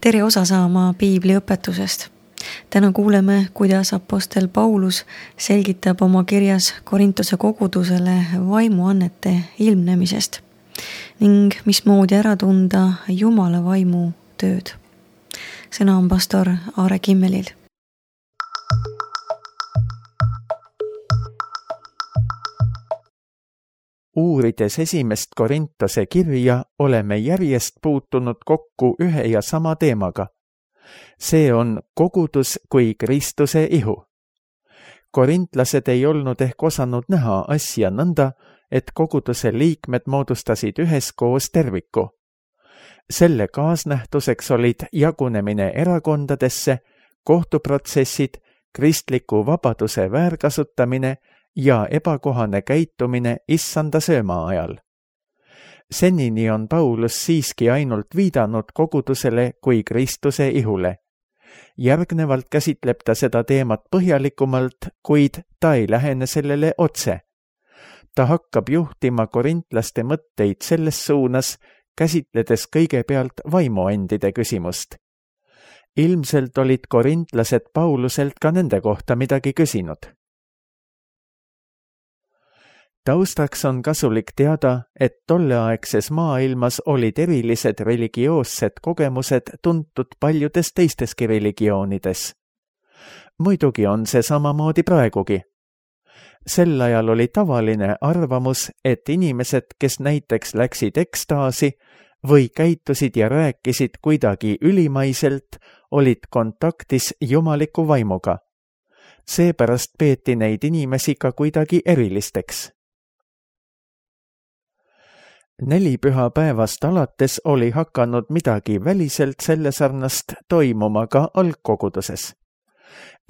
Tere osa saama Piibli õpetusest. Täna kuuleme, kuidas apostel Paulus selgitab oma kirjas Korintuse kogudusele vaimuannete ilmnemisest ning mismoodi ära tunda Jumala vaimu tööd. Sõna on pastor Aare Kimmelil. Uurides esimest Korintuse kirja, oleme järjest puutunud kokku ühe ja sama teemaga. See on kogudus kui Kristuse ihu. Korintlased ei olnud ehk osanud näha asja nõnda, et koguduse liikmed moodustasid üheskoos terviku. Selle kaasnähtuseks olid jagunemine erakondadesse, kohtuprotsessid, kristliku vabaduse väärkasutamine ja ebakohane käitumine issanda sööma ajal. Senini on Paulus siiski ainult viidanud kogudusele kui Kristuse ihule. Järgnevalt käsitleb ta seda teemat põhjalikumalt, kuid ta ei lähene sellele otse. Ta hakkab juhtima korintlaste mõtteid selles suunas, käsitledes kõigepealt vaimuandide küsimust. Ilmselt olid korintlased Pauluselt ka nende kohta midagi küsinud. Taustaks on kasulik teada, et tolleaegses maailmas olid erilised religioossed kogemused tuntud paljudes teisteski religioonides. Muidugi on see samamoodi praegugi. Sel ajal oli tavaline arvamus, et inimesed, kes näiteks läksid ekstaasi või käitusid ja rääkisid kuidagi ülimaiselt, olid kontaktis jumaliku vaimuga. Seepärast peeti neid inimesi ka kuidagi erilisteks. 4 pühapäevast alates oli hakanud midagi väliselt selle sarnast toimuma ka algkoguduses.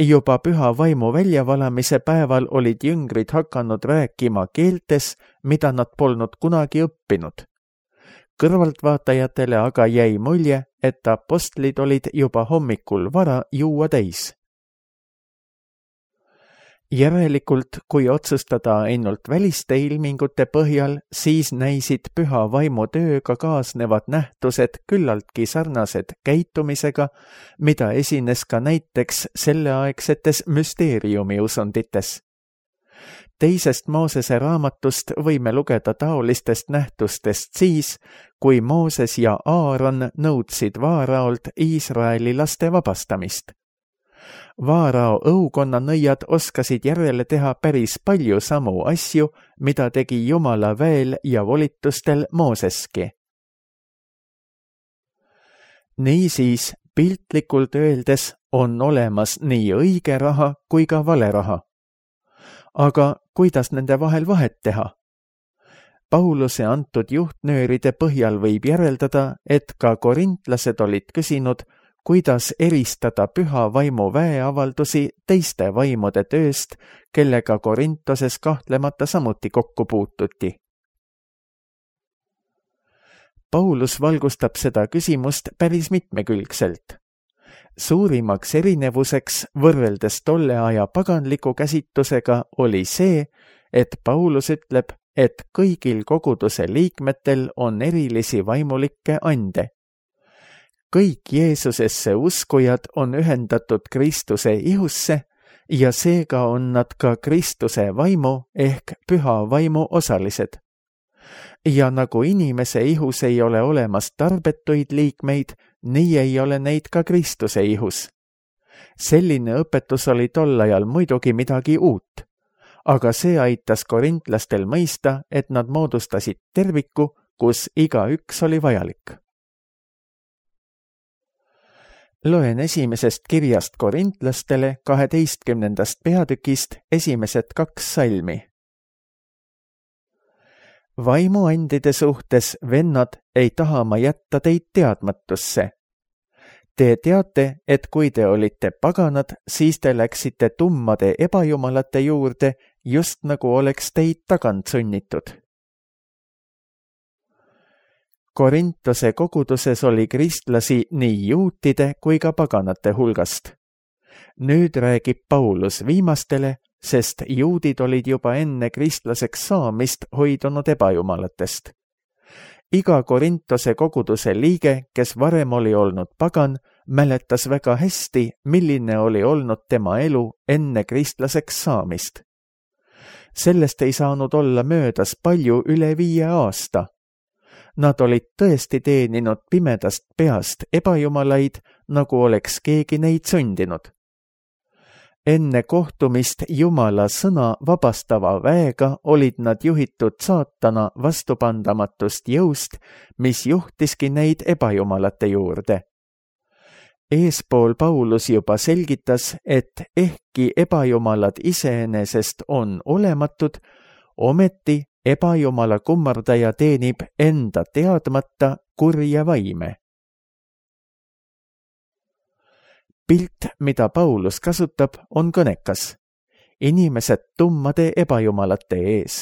Juba püha vaimu väljavalamise päeval olid jüngrid hakanud rääkima keeltes, mida nad polnud kunagi õppinud. Kõrvaltvaatajatele aga jäi mulje, et apostlid olid juba hommikul vara juua täis. Järelikult, kui otsustada ainult väliste ilmingute põhjal, siis näisid püha vaimu tööga kaasnevad nähtused küllaltki sarnased käitumisega, mida esines ka näiteks selleaegsetes müsteeriumiusundites. Teisest Moosese raamatust võime lugeda taolistest nähtustest siis, kui Mooses ja Aaron nõudsid Vaaraolt Iisraeli laste vabastamist. Vaarao õukonnanõiad oskasid järele teha päris palju samu asju, mida tegi Jumala väel ja volitustel Mooseski. Niisiis, piltlikult öeldes on olemas nii õige raha kui ka vale raha. Aga kuidas nende vahel vahet teha? Pauluse antud juhtnööride põhjal võib järeldada, et ka korintlased olid küsinud, kuidas eristada püha vaimu väeavaldusi teiste vaimude tööst, kellega Korintoses kahtlemata samuti kokku puututi. Paulus valgustab seda küsimust päris mitmekülgselt. Suurimaks erinevuseks võrreldes tolle aja paganliku käsitlusega oli see, et Paulus ütleb, et kõigil koguduse liikmetel on erilisi vaimulikke ande. Kõik Jeesusesse uskujad on ühendatud Kristuse ihusse ja seega on nad ka Kristuse vaimu ehk püha vaimu osalised. Ja nagu inimese ihus ei ole olemas tarbetuid liikmeid, nii ei ole neid ka Kristuse ihus. Selline õpetus oli tol ajal muidugi midagi uut, aga see aitas korintlastel mõista, et nad moodustasid terviku, kus igaüks oli vajalik. Loen esimesest kirjast korintlastele 12. peatükist esimesed 2 salmi. Vaimuandide suhtes, vennad, ei taha ma jätta teid teadmatusse. Te teate, et kui te olite paganad, siis te läksite tummade ebajumalate juurde, just nagu oleks teid tagant sunnitud. Korintuse koguduses oli kristlasi nii juutide kui ka paganate hulgast. Nüüd räägib Paulus viimastele, sest juudid olid juba enne kristlaseks saamist hoidunud ebajumalatest. Iga Korintose koguduse liige, kes varem oli olnud pagan, mäletas väga hästi, milline oli olnud tema elu enne kristlaseks saamist. Sellest ei saanud olla möödas palju üle 5 aasta. Nad olid tõesti teeninud pimedast peast ebajumalaid, nagu oleks keegi neid sundinud. Enne kohtumist Jumala sõna vabastava väega olid nad juhitud saatana vastupandamatust jõust, mis juhtiski neid ebajumalate juurde. Eespool Paulus juba selgitas, et ehkki ebajumalad iseenesest on olematud, ometi ebajumala kummardaja teenib enda teadmata kurja vaime. Pilt, mida Paulus kasutab, on kõnekas. Inimesed tummade ebajumalate ees.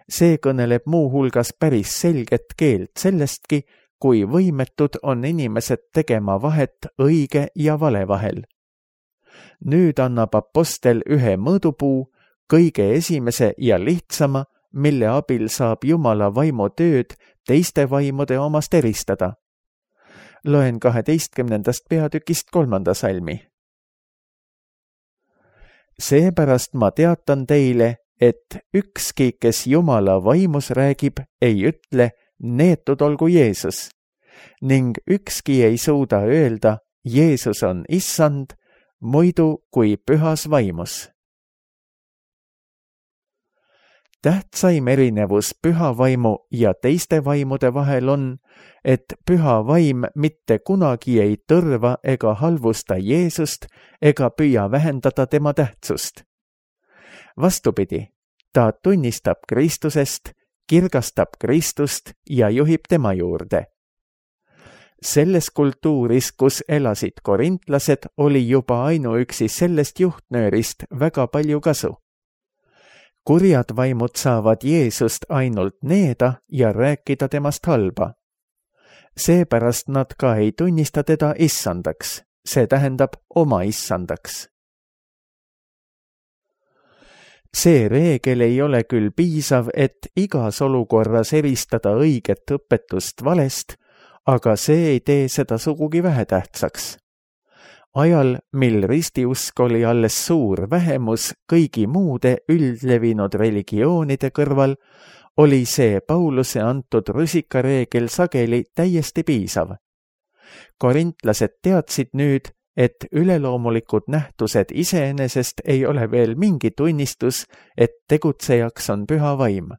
See kõneleb muu hulgas päris selget keelt sellestki, kui võimetud on inimesed tegema vahet õige ja vale vahel. Nüüd annab apostel ühe mõõdupuu, kõige esimese ja lihtsama, mille abil saab Jumala vaimu tööd teiste vaimude omast eristada. Loen 12. peatükist 3. salmi. Seepärast ma teatan teile, et ükski, kes Jumala vaimus räägib, ei ütle, neetud olgu Jeesus, ning ükski ei suuda öelda, Jeesus on issand, muidu kui pühas vaimus. Tähtsaim erinevus püha vaimu ja teiste vaimude vahel on, et püha vaim mitte kunagi ei tõrva ega halvusta Jeesust ega püüa vähendada tema tähtsust. Vastupidi, ta tunnistab Kristusest, kirgastab Kristust ja juhib tema juurde. Selles kultuuris, kus elasid korintlased, oli juba ainuüksi sellest juhtnöörist väga palju kasu. Kurjad vaimud saavad Jeesust ainult needa ja rääkida temast halba. Seepärast nad ka ei tunnista teda issandaks, see tähendab oma issandaks. See reegel ei ole küll piisav, et igas olukorras eristada õiget õpetust valest, aga see ei tee seda sugugi vähetähtsaks. Ajal, mil ristiusk oli alles suur vähemus kõigi muude üldlevinud religioonide kõrval, oli see Pauluse antud rusikareegel sageli täiesti piisav. Korintlased teadsid nüüd, et üleloomulikud nähtused iseenesest ei ole veel mingi tunnistus, et tegutsejaks on püha vaim.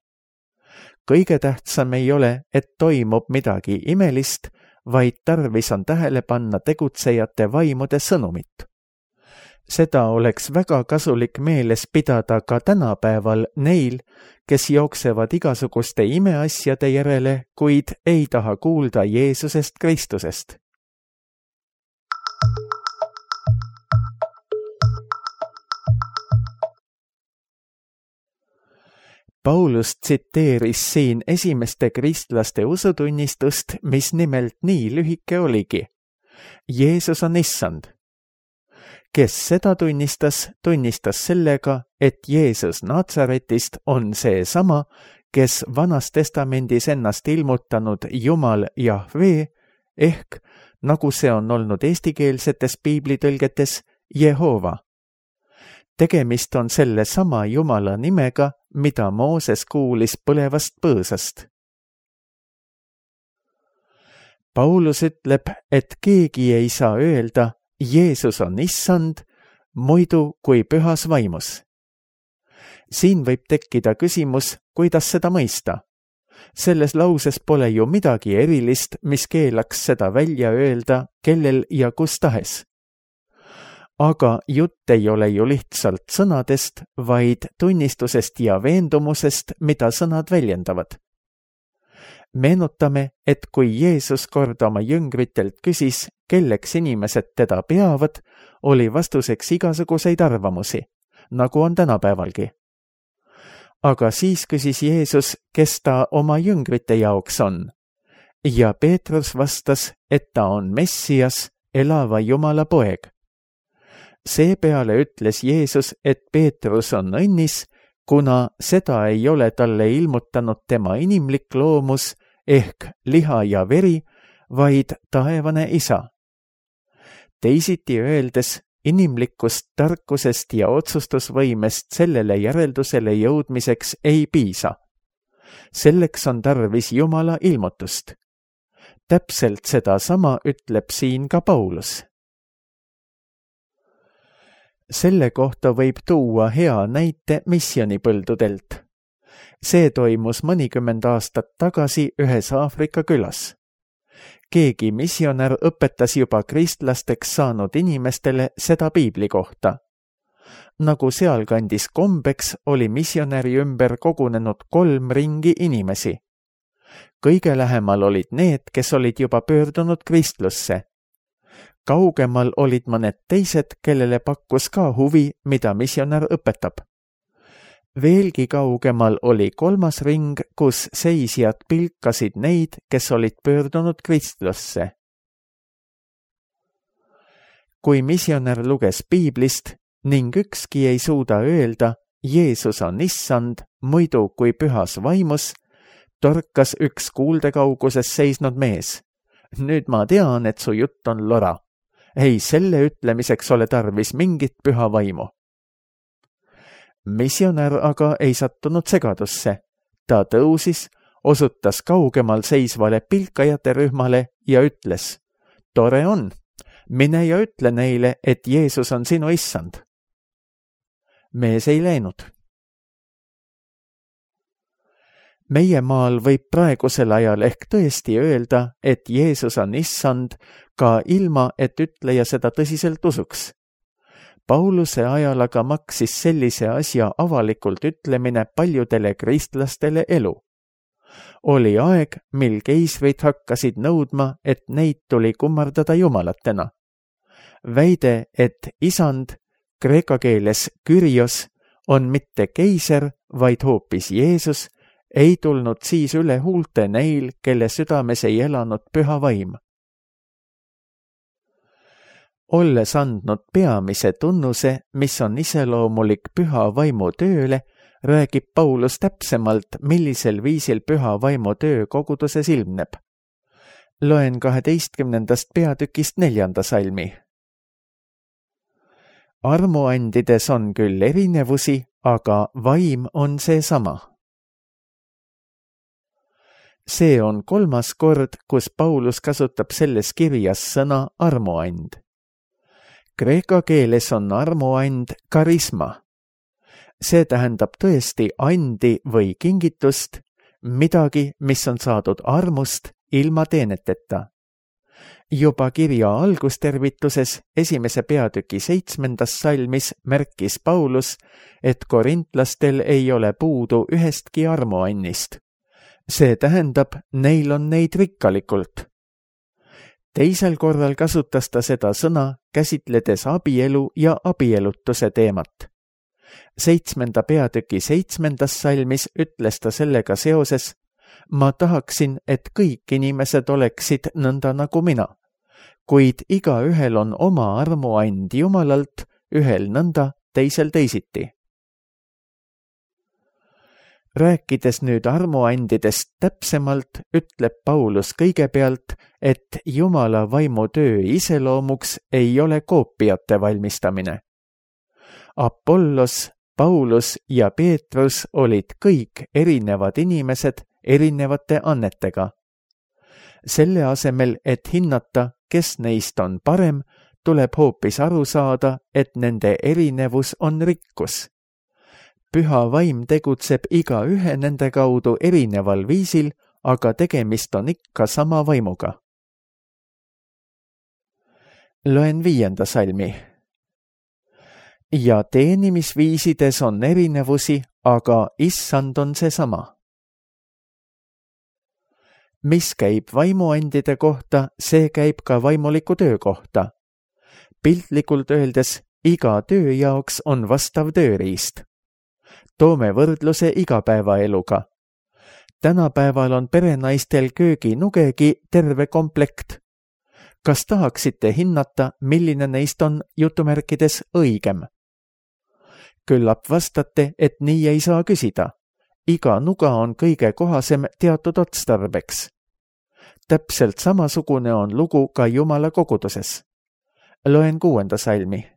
Kõige tähtsam ei ole, et toimub midagi imelist, vaid tarvis on tähele panna tegutsejate vaimude sõnumit. Seda oleks väga kasulik meeles pidada ka tänapäeval neil, kes jooksevad igasuguste imeasjade järele, kuid ei taha kuulda Jeesusest Kristusest. Paulus tsiteeris siin esimeste kristlaste usutunnistust, mis nimelt nii lühike oligi. Jeesus on issand. Kes seda tunnistas sellega, et Jeesus Natsaretist on see sama, kes Vanas Testamendis ennast ilmutanud Jumal Jahve, ehk, nagu see on olnud eestikeelsetes piiblitõlgetes, Jehova. Tegemist on selle sama Jumala nimega, mida Mooses kuulis põlevast põõsast. Paulus ütleb, et keegi ei saa öelda, Jeesus on issand, muidu kui pühas vaimus. Siin võib tekkida küsimus, kuidas seda mõista. Selles lauses pole ju midagi erilist, mis keelaks seda välja öelda, kellel ja kus tahes. Aga jutt ei ole ju lihtsalt sõnadest, vaid tunnistusest ja veendumusest, mida sõnad väljendavad. Meenutame, et kui Jeesus kord oma jüngritelt küsis, kelleks inimesed teda peavad, oli vastuseks igasuguseid arvamusi, nagu on tänapäevalgi. Aga siis küsis Jeesus, kes ta oma jüngrite jaoks on. Ja Peetrus vastas, et ta on Messias, elava Jumala poeg. Seepeale ütles Jeesus, et Peetrus on õnnis, kuna seda ei ole talle ilmutanud tema inimlik loomus ehk liha ja veri, vaid taevane Isa. Teisiti öeldes, inimlikust tarkusest ja otsustusvõimest sellele järeldusele jõudmiseks ei piisa. Selleks on tarvis Jumala ilmutust. Täpselt sedasama ütleb siin ka Paulus. Selle kohta võib tuua hea näite missionipõldudelt. See toimus mõnikümmend aastat tagasi ühes Aafrika külas. Keegi missionär õpetas juba kristlasteks saanud inimestele seda piibli kohta. Nagu sealkandis kombeks, oli missionäri ümber kogunenud 3 ringi inimesi. Kõige lähemal olid need, kes olid juba pöördunud kristlusse. Kaugemal olid mõned teised, kellele pakkus ka huvi, mida missionär õpetab. Veelgi kaugemal oli 3. ring, kus seisjad pilkasid neid, kes olid pöördunud kristlusse. Kui missionär luges piiblist ning ükski ei suuda öelda, Jeesus on issand, muidu kui pühas vaimus, torkas üks kuuldekauguses seisnud mees. Nüüd ma tean, et su jutt on lora. Ei, selle ütlemiseks ole tarvis mingit püha vaimu. Missionär aga ei sattunud segadusse. Ta tõusis, osutas kaugemal seisvale pilkajate rühmale ja ütles, tore on, mine ja ütle neile, et Jeesus on sinu issand. Mees ei läinud. Meie maal võib praegusel ajal ehk tõesti öelda, et Jeesus on issand, ka ilma, et ütleja seda tõsiselt usuks. Pauluse ajal aga maksis sellise asja avalikult ütlemine paljudele kristlastele elu. Oli aeg, mil keisrid hakkasid nõudma, et neid tuli kummardada jumalatena. Väide, et isand, kreeka keeles Kyrios, on mitte keiser, vaid hoopis Jeesus, ei tulnud siis üle huulte neil, kelle südames ei elanud püha vaim. Olles andnud peamise tunnuse, mis on iseloomulik püha vaimu tööle, räägib Paulus täpsemalt, millisel viisil püha vaimu töö koguduses ilmneb. Loen 12. peatükist 4. salmi. Armuandides on küll erinevusi, aga vaim on seesama. See on 3. kord, kus Paulus kasutab selles kirjas sõna armuand. Kreeka keeles on armuand karisma. See tähendab tõesti andi või kingitust, midagi, mis on saadud armust ilma teeneteta. Juba kirja algustervituses 1. peatüki 7. salmis märkis Paulus, et korintlastel ei ole puudu ühestki armuannist. See tähendab, neil on neid rikkalikult. Teisel korral kasutas ta seda sõna, käsitledes abielu ja abielutuse teemat. 7. peatüki 7. salmis ütles ta sellega seoses, ma tahaksin, et kõik inimesed oleksid nõnda nagu mina, kuid igaühel on oma armuand Jumalalt, ühel nõnda, teisel teisiti. Rääkides nüüd armuandidest täpsemalt, ütleb Paulus kõigepealt, et Jumala vaimu töö iseloomuks ei ole koopiate valmistamine. Apollos, Paulus ja Peetrus olid kõik erinevad inimesed erinevate annetega. Selle asemel, et hinnata, kes neist on parem, tuleb hoopis aru saada, et nende erinevus on rikkus. Püha vaim tegutseb igaühe nende kaudu erineval viisil, aga tegemist on ikka sama vaimuga. Loen 5. salmi. Ja teenimisviisides on erinevusi, aga issand on seesama. Mis käib vaimuandide kohta, see käib ka vaimuliku töö kohta. Piltlikult öeldes, iga töö jaoks on vastav tööriist. Toome võrdluse igapäevaeluga. Tänapäeval on perenaistel kööginugegi terve komplekt. Kas tahaksite hinnata, milline neist on jutumärkides õigem? Küllap vastate, et nii ei saa küsida. Iga nuga on kõige kohasem teatud otstarbeks. täpselt samasugune on lugu ka Jumala koguduses. Loen 6. salmi.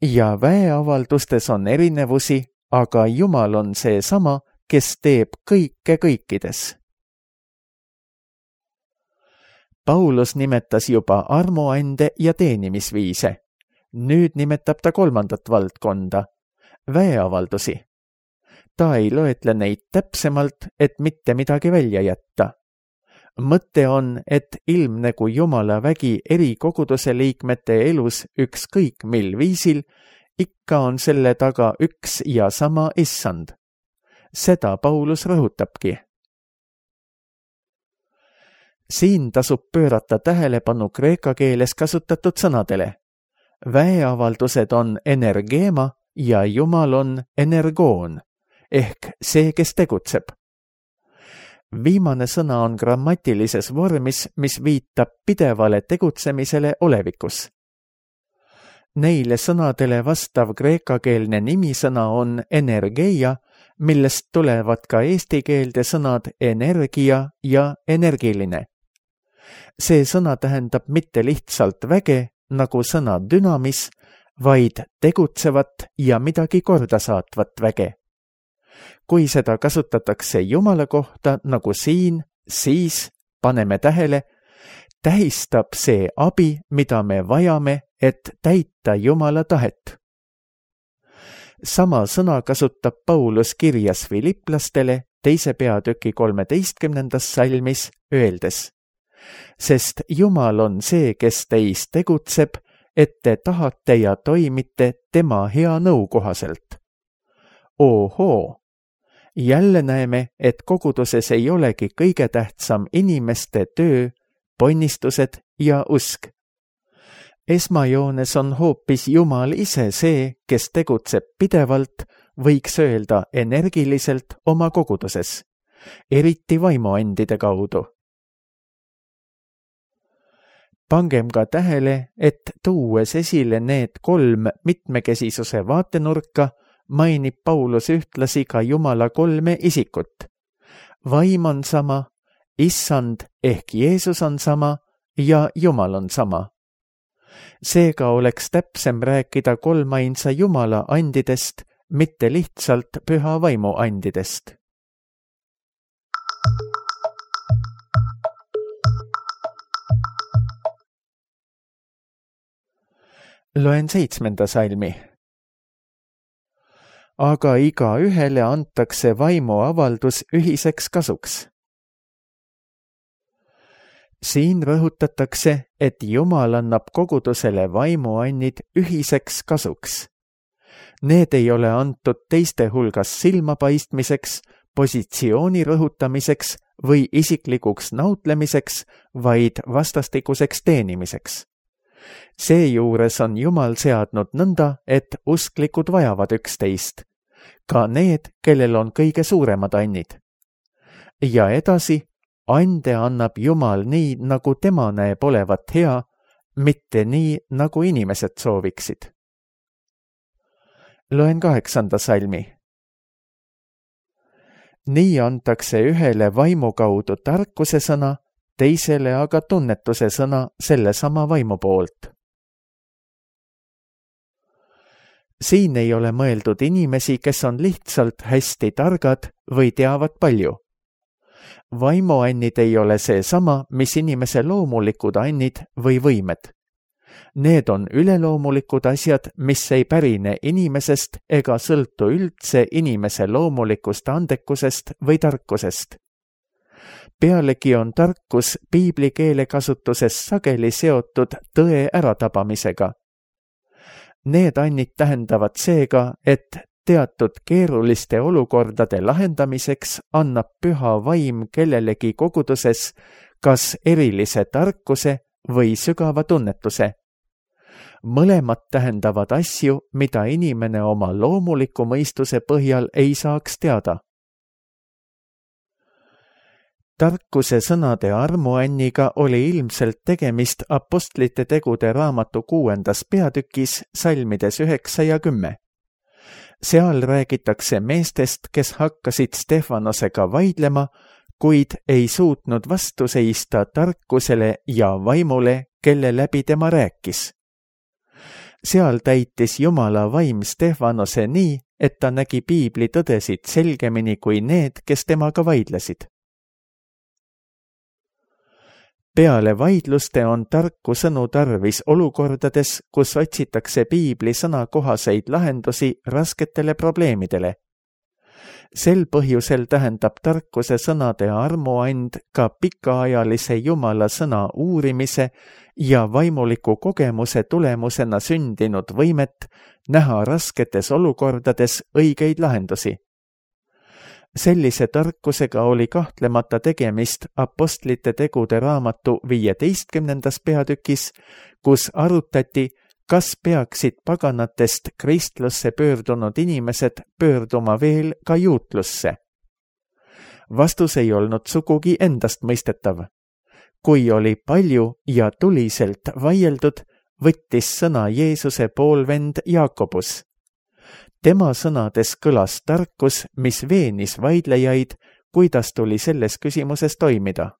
Ja väeavaldustes on erinevusi, aga Jumal on seesama, kes teeb kõike kõikides. Paulus nimetas juba armuande ja teenimisviise. Nüüd nimetab ta 3. valdkonda, väeavaldusi. Ta ei loetle neid täpsemalt, et mitte midagi välja jätta. Mõte on, et ilmnegu Jumala vägi eri koguduse liikmete elus ükskõik mil viisil, ikka on selle taga üks ja sama issand. Seda Paulus rõhutabki. Siin tasub pöörata tähelepanu kreeka keeles kasutatud sõnadele. Väeavaldused on energeema ja Jumal on energoon, ehk see, kes tegutseb. Viimane sõna on grammatilises vormis, mis viitab pidevale tegutsemisele olevikus. Neile sõnadele vastav kreekakeelne nimisõna on energeia, millest tulevad ka eesti keelde sõnad energia ja energiline. See sõna tähendab mitte lihtsalt väge, nagu sõna dünamis, vaid tegutsevat ja midagi korda saatvat väge. Kui seda kasutatakse Jumala kohta nagu siin, siis, paneme tähele, tähistab see abi, mida me vajame, et täita Jumala tahet. Sama sõna kasutab Paulus kirjas Filiplastele 2. peatüki 13. salmis öeldes. Sest Jumal on see, kes teis tegutseb, et te tahate ja toimite tema hea nõu kohaselt. Ohoo! Jälle näeme, et koguduses ei olegi kõige tähtsam inimeste töö, ponnistused ja usk. Esmajoones on hoopis Jumal ise see, kes tegutseb pidevalt, võiks öelda energiliselt oma koguduses, eriti vaimuandide kaudu. Pangem ka tähele, et tuues esile need 3 mitmekesisuse vaatenurka, mainib Paulus ühtlasi ka Jumala 3 isikut. Vaim on sama, issand ehk Jeesus on sama ja Jumal on sama. Seega oleks täpsem rääkida 3 ainsa Jumala andidest, mitte lihtsalt püha vaimu andidest. Loen 7. salmi. Aga igaühele antakse vaimuavaldus ühiseks kasuks. Siin rõhutatakse, et Jumal annab kogudusele vaimuannid ühiseks kasuks. Need ei ole antud teiste hulgas silmapaistmiseks, positsiooni rõhutamiseks või isiklikuks nautlemiseks, vaid vastastikuseks teenimiseks. Seejuures on Jumal seadnud nõnda, et usklikud vajavad üksteist, ka need, kellel on kõige suuremad annid. Ja edasi, ande annab Jumal nii, nagu tema näeb olevat hea, mitte nii, nagu inimesed sooviksid. Loen 8. salmi. Nii antakse ühele vaimu kaudu tarkuse sõna, teisele aga tunnetuse sõna sellesama vaimu poolt. Siin ei ole mõeldud inimesi, kes on lihtsalt hästi targad või teavad palju. Vaimuannid ei ole seesama, mis inimese loomulikud annid või võimed. Need on üleloomulikud asjad, mis ei pärine inimesest ega sõltu üldse inimese loomulikust andekusest või tarkusest. Pealegi on tarkus piibli keelekasutuses sageli seotud tõe äratabamisega. Need annid tähendavad seega, et teatud keeruliste olukordade lahendamiseks annab püha vaim kellelegi koguduses kas erilise tarkuse või sügava tunnetuse. Mõlemad tähendavad asju, mida inimene oma loomuliku mõistuse põhjal ei saaks teada. Tarkuse sõnade armuanniga oli ilmselt tegemist Apostlite tegude raamatu 6. peatükis salmides 9 ja 10. Seal räägitakse meestest, kes hakkasid Stefanosega vaidlema, kuid ei suutnud vastu seista tarkusele ja vaimule, kelle läbi tema rääkis. Seal täitis Jumala vaim Stefanose nii, et ta nägi piibli tõdesid selgemini kui need, kes temaga vaidlesid. Peale vaidluste on tarku sõnu tarvis olukordades, kus otsitakse piibli sõnakohaseid lahendusi rasketele probleemidele. Sel põhjusel tähendab tarkuse sõnade armuand ka pikaajalise Jumala sõna uurimise ja vaimuliku kogemuse tulemusena sündinud võimet näha rasketes olukordades õigeid lahendusi. Sellise tarkusega oli kahtlemata tegemist Apostlite tegude raamatu 15. peatükis, kus arutati, kas peaksid paganatest kristlusse pöördunud inimesed pöörduma veel ka juutlusse. Vastus ei olnud sugugi endastmõistetav. Kui oli palju ja tuliselt vaieldud, võttis sõna Jeesuse poolvend Jaakobus. Tema sõnades kõlas tarkus, mis veenis vaidlejaid, kuidas tuli selles küsimuses toimida.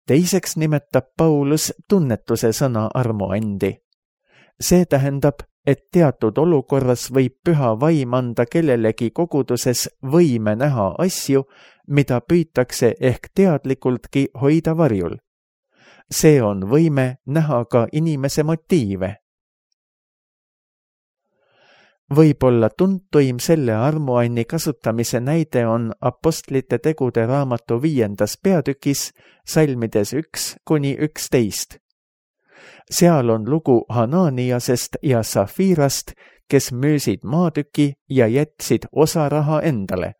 Teiseks nimetab Paulus tunnetuse sõna armuandi. See tähendab, et teatud olukorras võib püha vaim anda kellelegi koguduses võime näha asju, mida püütakse ehk teadlikultki hoida varjul. See on võime näha ka inimese motiive. Võib-olla tuntuim selle armuanni kasutamise näide on Apostlite tegude raamatu 5. peatükis, salmides 1-11. Seal on lugu Hananiasest ja Safirast, kes müüsid maatüki ja jätsid osa raha endale.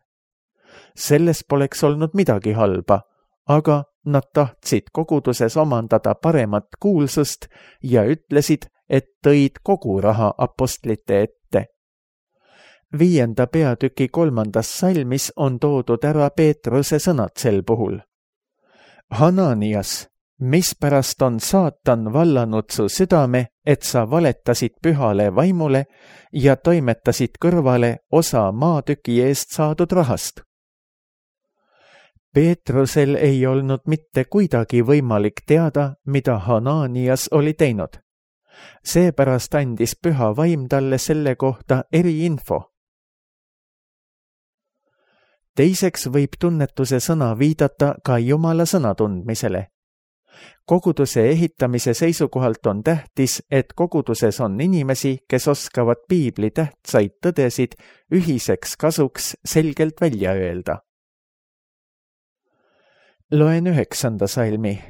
Selles poleks olnud midagi halba, aga nad tahtsid koguduses omandada paremat kuulsust ja ütlesid, et tõid kogu raha apostlite ette. 5. peatüki 3. salmis on toodud ära Peetruse sõnad sel puhul. Hananias, mispärast on saatan vallanud su südame, et sa valetasid pühale vaimule ja toimetasid kõrvale osa maatüki eest saadud rahast? Peetrusel ei olnud mitte kuidagi võimalik teada, mida Hananias oli teinud. Seepärast andis püha vaim talle selle kohta eriinfo. Teiseks võib tunnetuse sõna viidata ka Jumala sõna tundmisele. Koguduse ehitamise seisukohalt on tähtis, et koguduses on inimesi, kes oskavad piibli tähtsaid tõdesid ühiseks kasuks selgelt välja öelda. Loen 9. salmi.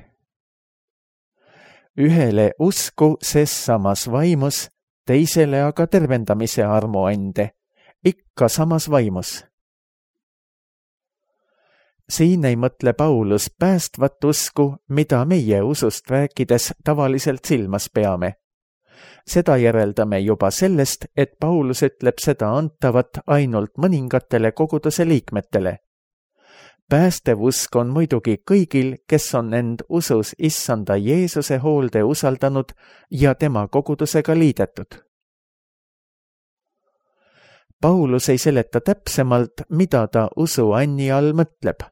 Ühele usku ses samas vaimus, teisele aga tervendamise armuande, ikka samas vaimus. Siin ei mõtle Paulus päästvat usku, mida meie usust rääkides tavaliselt silmas peame. Seda järeldame juba sellest, et Paulus ütleb seda antavat ainult mõningatele koguduse liikmetele. Päästev usk on muidugi kõigil, kes on end usus issanda Jeesuse hoolde usaldanud ja tema kogudusega liidetud. Paulus ei seleta täpsemalt, mida ta usuanni all mõtleb.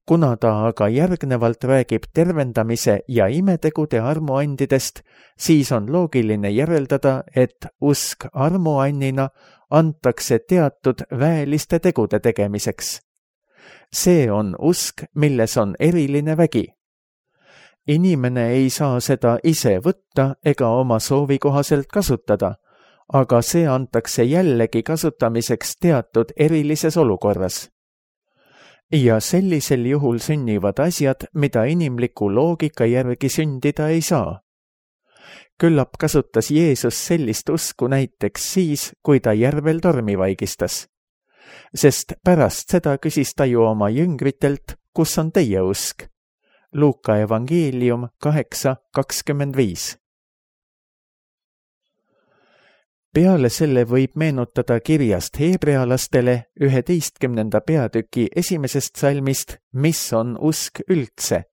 Kuna ta aga järgnevalt räägib tervendamise ja imetegude armuandidest, siis on loogiline järeldada, et usk armuannina antakse teatud väeliste tegude tegemiseks. See on usk, milles on eriline vägi. Inimene ei saa seda ise võtta ega oma soovi kohaselt kasutada, aga see antakse jällegi kasutamiseks teatud erilises olukorras. Ja sellisel juhul sünnivad asjad, mida inimliku loogika järgi sündida ei saa. Küllap kasutas Jeesus sellist usku näiteks siis, kui ta järvel tormi vaigistas. Sest pärast seda küsis ta ju oma jüngritelt, kus on teie usk. Luuka evangeelium 8:25. Peale selle võib meenutada kirjast heebrealastele 11. peatüki 1. salmist, mis on usk üldse.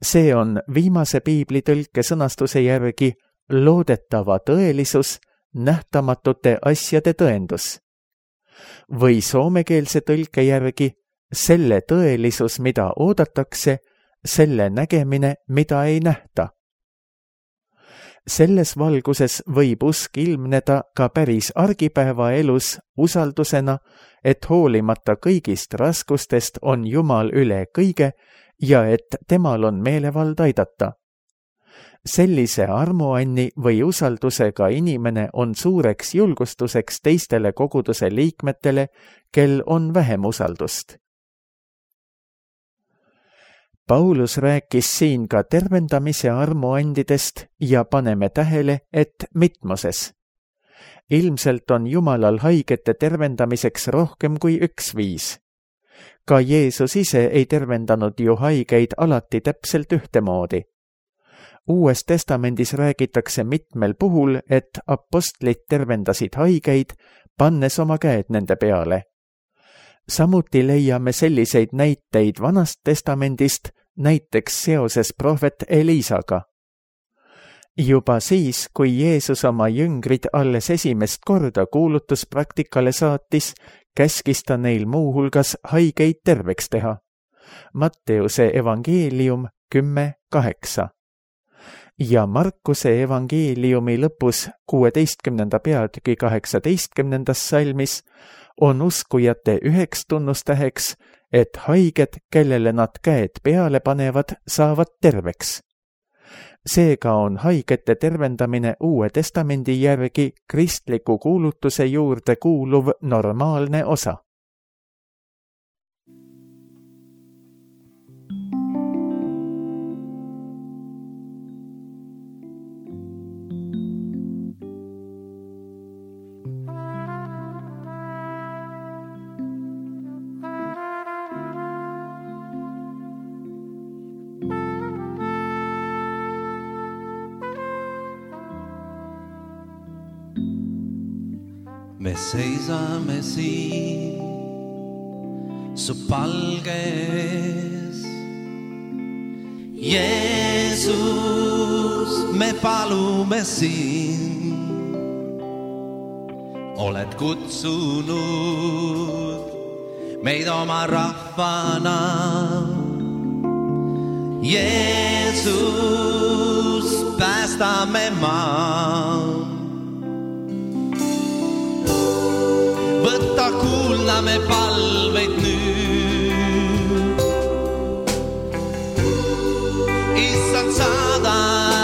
See on viimase piiblitõlke sõnastuse järgi loodetava tõelisus, nähtamatute asjade tõendus. Või soomekeelse tõlke järgi selle tõelisus, mida oodatakse, selle nägemine, mida ei nähta. Selles valguses võib usk ilmneda ka päris argipäevaelus usaldusena, et hoolimata kõigist raskustest on Jumal üle kõige ja et temal on meelevald aidata. Sellise armuanni või usaldusega inimene on suureks julgustuseks teistele koguduse liikmetele, kel on vähem usaldust. Paulus rääkis siin ka tervendamise armuandidest ja paneme tähele, et mitmuses. Ilmselt on Jumalal haigete tervendamiseks rohkem kui üks viis. Ka Jeesus ise ei tervendanud ju haigeid alati täpselt ühtemoodi. Uues testamendis räägitakse mitmel puhul, et apostlid tervendasid haigeid, pannes oma käed nende peale. Samuti leiame selliseid näiteid Vanast testamendist, näiteks seoses prohvet Eliisaga. Juba siis, kui Jeesus oma jüngrid alles esimest korda kuulutuspraktikale saatis, käskis ta neil muuhulgas haigeid terveks teha. Matteuse evangeelium 10:8. Ja Markuse evangeeliumi lõpus 16. peatüki 18. salmis on uskujate üheks tunnustäheks, et haiged, kellele nad käed peale panevad, saavad terveks. Seega on haigete tervendamine Uue Testamendi järgi kristliku kuulutuse juurde kuuluv normaalne osa. Me seisame siin su palge ees. Jeesus, me palume siin. Oled kutsunud meid oma rahvana. Jeesus, päästame maa. Võtta kuulda me palveid nüüd. Issand, saada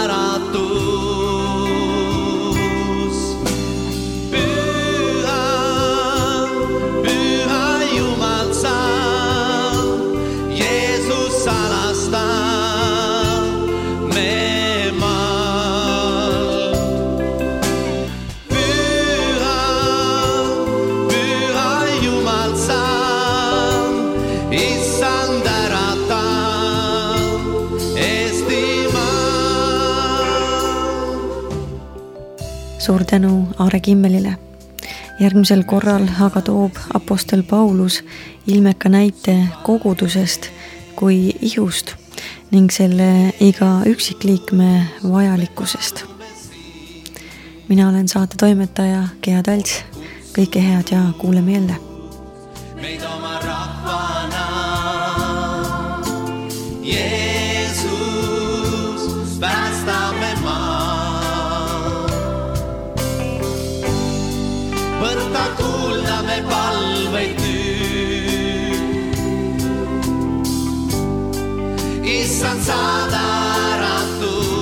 äratus. Püha, püha Jumal sa, Jeesus salasta me maal. Suur tänu Aare Kimmelile. Järgmisel korral aga toob apostel Paulus ilmeka näite kogudusest kui ihust ning selle iga üksikliikme vajalikkusest. Mina olen saate toimetaja Gea Talts. Kõike head ja kuuleme jälle. Meid oma rahvana, Jeesus, päästame maa. Võtta kuulda me palveid nüüd. Issand, saada äratus.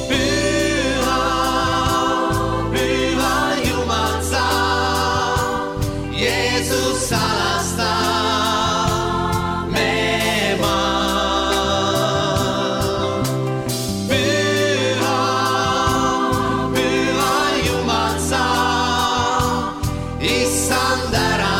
Püha, püha Jumal sa, Jeesus salasta me maal. Püha, püha Jumal sa, Issand ära